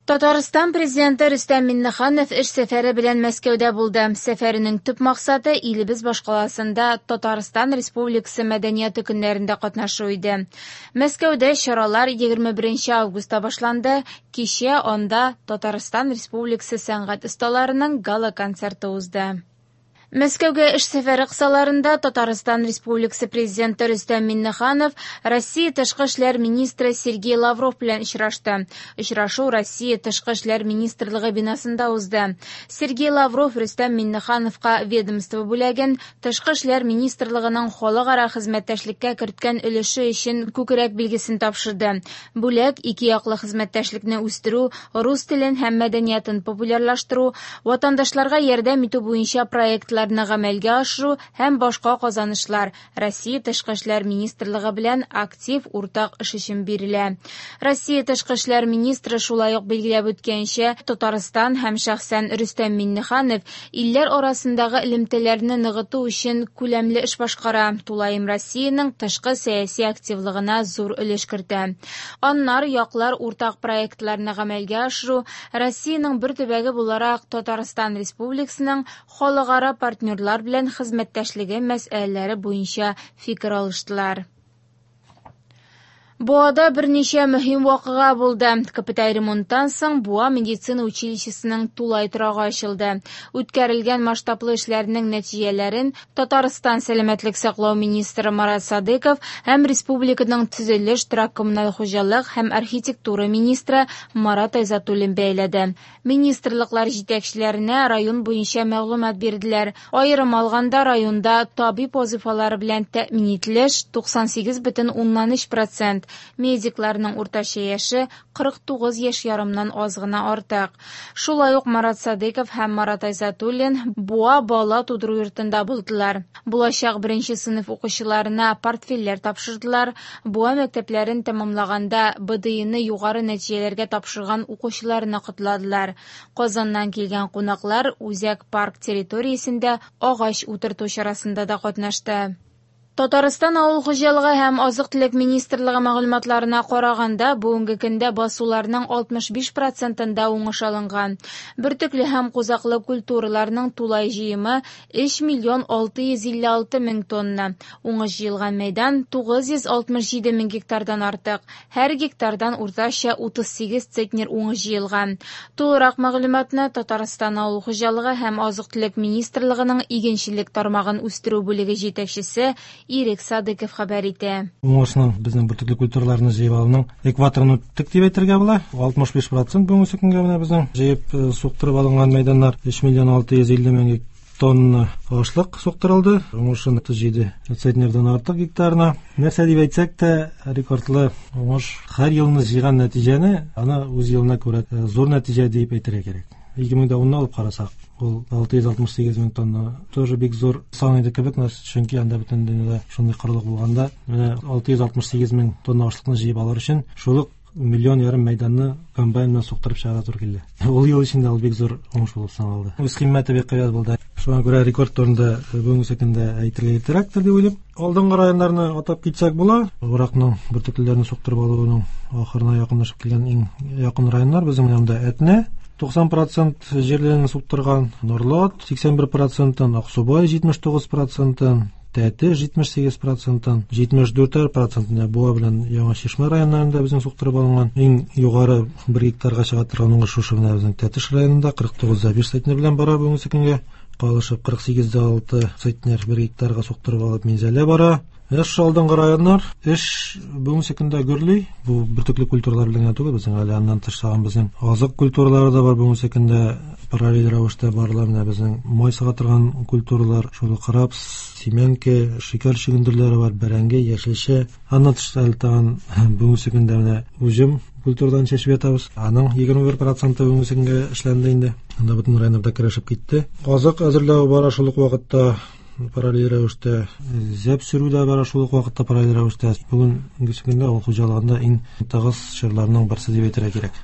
Татарстан Президенты Рөстәм Миңнеханов эш сәфәре белән Мәскәүдә булды. Сәфәренең төп максаты илебез башкаласында Татарстан Республикасы мәдәнияте көннәрендә катнашу иде. Мәскәүдә чаралар 21 августта башланды. Кичә анда Татарстан Республикасы сәнгать осталарының гала-концерты узды. Мәскәүгә эш сәфәре кысаларында Татарстан Республикасы Президенты Рөстәм Миңнеханов Россия Тышкы эшләр министры Сергей Лавров белән очрашты. Очрашу Россия Тышкы эшләр министрлыгы бинасында узды. Сергей Лавров Рөстәм Миңнехановка ведомство бүләген Тышкы эшләр министрлыгының халыкара хезмәттәшлеккә керткән өлеше өчен күкрәк билгесен тапшырды. Бүләк ике яклы хезмәттәшлекне үстерү, рус телен һәм мәдәниятын популярлаштыру, ватандашларга ярдәм итү буенча проектларны гамәлгә ашыру һәм башка казанышлар Россия Тышкы эшләр министрлыгы белән актив уртак эш өчен бирелә. Россия Тышкы эшләр министры шулай ук билгеләп үткәнчә, Татарстан һәм шәхсән Рөстәм Миңнеханов илләр арасындагы элемтәләрне ныгыту өчен күләмле эш башкара, тулаем Россиянең тышкы сәяси активлыгына зур өлеш кертә. Аннары яклар уртак проектларны гамәлгә ашыру, Россиянең бер төбәге буларак Татарстан Республикасының халыкара партнерлар белән хезмәттәшлеге мәсьәләләре буенча фикер алыштылар. Буада берничә мөһим вакыйга булды. Капиталь ремонттан соң Буа медицина училищесының тулай торагы ачылды. Үткәрелгән масштаблы эшләрнең нәтиҗәләрен Татарстан сәламәтлек саклау министры Марат Садыков һәм республиканың төзелеш, торак-коммуналь хуҗалык һәм архитектура министры Марат Айзатуллин бәяләде. Министрлыклар җитәкчеләренә район буенча мәгълүмат бирделәр. Аерым алганда, районда табиб вазыйфалары белән тәэмин ителеш 98,3 процент, медикларның уртача яше 49 яшь ярымнан аз гына артык. Шулай ук Марат Садыков һәм Марат Айзатуллин Буа бала тудыру йортында булдылар. Булачак беренче сыйныф укучыларына портфельләр тапшырдылар. Буа мәктәпләрен тәмамлаганда БДИны югары нәтиҗәләргә тапшырган укучыларны котладылар. Казаннан килгән кунаклар Үзәк парк территориясендә агач утырту чарасында да катнашты. Татарстан авыл хуҗалыгы һәм азык-төлек министрлыгы мәгълүматларына караганда, бүгенге көндә басуларның 65 процентында уңыш алынган. Бөртекле һәм кузаклы культураларның тулай җыемы 3 миллион 656 мең тонна. Уңыш җыелган мәйдан 967 мең гектардан артык. Һәр гектардан уртача 38 центнер уңыш җыелган. Тулырак мәгълүматны Татарстан авыл хуҗалыгы һәм азык-төлек министрлыгының игенчелек тармагын үстерү бүлеге җитәкчесе Ирек Садыков хәбәр итә. Уңышның безнең бөртекле культураларны җыеп алуның экваторын үттек дип әйтергә була. 65 процент бүгенге көнгә менә безнең җыеп суктырып алынган мәйданнар 3 миллион 650 мең тонна ашлык суктырылды. Уңышын 37 центнердан артык гектарына. Нәрсә дип әйтсәк тә, рекордлы уңыш. Һәр елны җыйган нәтиҗәне аны үз елына күрә зур нәтиҗә дип әйтергә кирәк. 2010-ны алып карасак, ул 668 мең тонна тоже бик зур сан иде кебек, чөнки анда бөтен дөньяда шундый корылык булганда, менә 668 мең тонна ашлыкны җыеп алыр өчен шул ук миллион ярым мәйданны комбайн белән суктырып чыгарга туры килде. Ул ел эчендә ул бик зур уңыш булып саналды. Үз кыйммәте бик кыйбат булды. Шуңа күрә рекорд турында бүгенге көндә әйтергә иртәрәктер дип уйлыйм. Алдынгы районнарны атап китсәк була. Уракның бөртеклеләрне суктырып алуның ахырына якынлашып килгән иң якын районнар безнең янда Әтнә 90% җирләрен суктырган, Норлат 81%, Аксубай 79%, Тәтеш 78 процентын, 74 процентына Буа белән Яңа Чишмә районнарында безнең суктырып алынган. Иң югары 1 гектарга чыга торган уңыш шушы менә безнең Тәтеш районында 49,5 центнер белән бара бүгенге көнгә. Калышып 48,6 центнер 1 гектарга суктырып алып Минзәлә бара. Эш алдынгы районнар, эш бүгенге көндә гөрли. Бу бөртекле культуралар белән генә түгел, безнең әле аннан тыш тагын безнең азык культуралары да бар бүгенге көндә параллель рәвештә барыла. Менә безнең май сыга торган культуралар, шул ук рапс, семенка, шикәр чөгендерләре бар, бәрәңге, яшелчә. Аннан тыш әле тагын бүгенге көндә менә уҗым культурадан чәчеп ятабыз. Аның 21% бүгенге көнгә эшләнде инде. Анда бөтен районнарда керешеп китте. Азык әзерләү бара шул ук вакытта параллель рәвештә, зәп сөрү дә бара шул ук вакытта параллель рәвештә. Бүгенге көндә авыл хуҗалыгында иң тыгыз чорларның берсе дип әйтергә кирәк.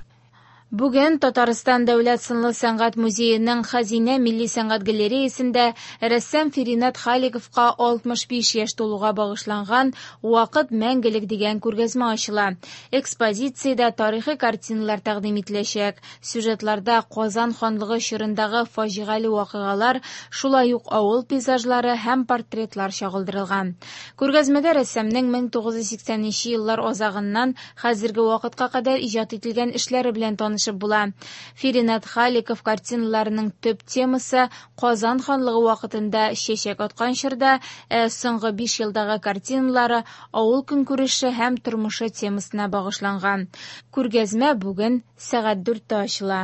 Бүген Татарстан дәүләт сынлы сәнгать музееның Хәзинә милли сәнгать галереясендә рәссам Феринат Халиковка 65 яшь тулуга багышланган «Вакыт мәңгелек» дигән күргәзмә ачыла. Экспозициядә тарихи картиналар тәкъдим ителәчәк. Сюжетларда Казан ханлыгы чорындагы фаҗигале вакыйгалар, шулай ук авыл пейзажлары һәм портретлар чагылдырылган. Күргәзмәдә рәссамның 1980 еллар азагыннан хәзерге вакытка кадәр иҗат ителгән эшләре белән танышып була. Феринат Халиков картиналарының төп темасы Казан ханлыгы вакытында чәчәк аткан чорда, ә соңгы 5 елдагы картиналары авыл көнкүреше һәм тормышы темасына багышланган. Күргәзмә бүген сәгать 4тә ачыла.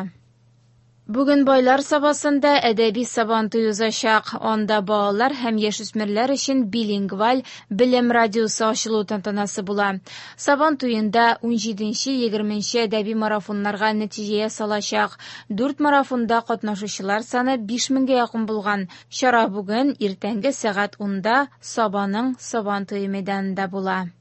Бүген Байлар Сабасында әдәби Сабантуй узачак. Анда балалар һәм яшүсмерләр өчен билингваль белем радиосы ачылу тантанасы була. Сабан туенда 17-20 әдәби марафоннарга нәтиҗә ясалачак. 4 марафонда катнашучылар саны 5000гә якын булган. Чара бүген иртәнге сәгать 10да Сабаның Сабан туе мәйданында була.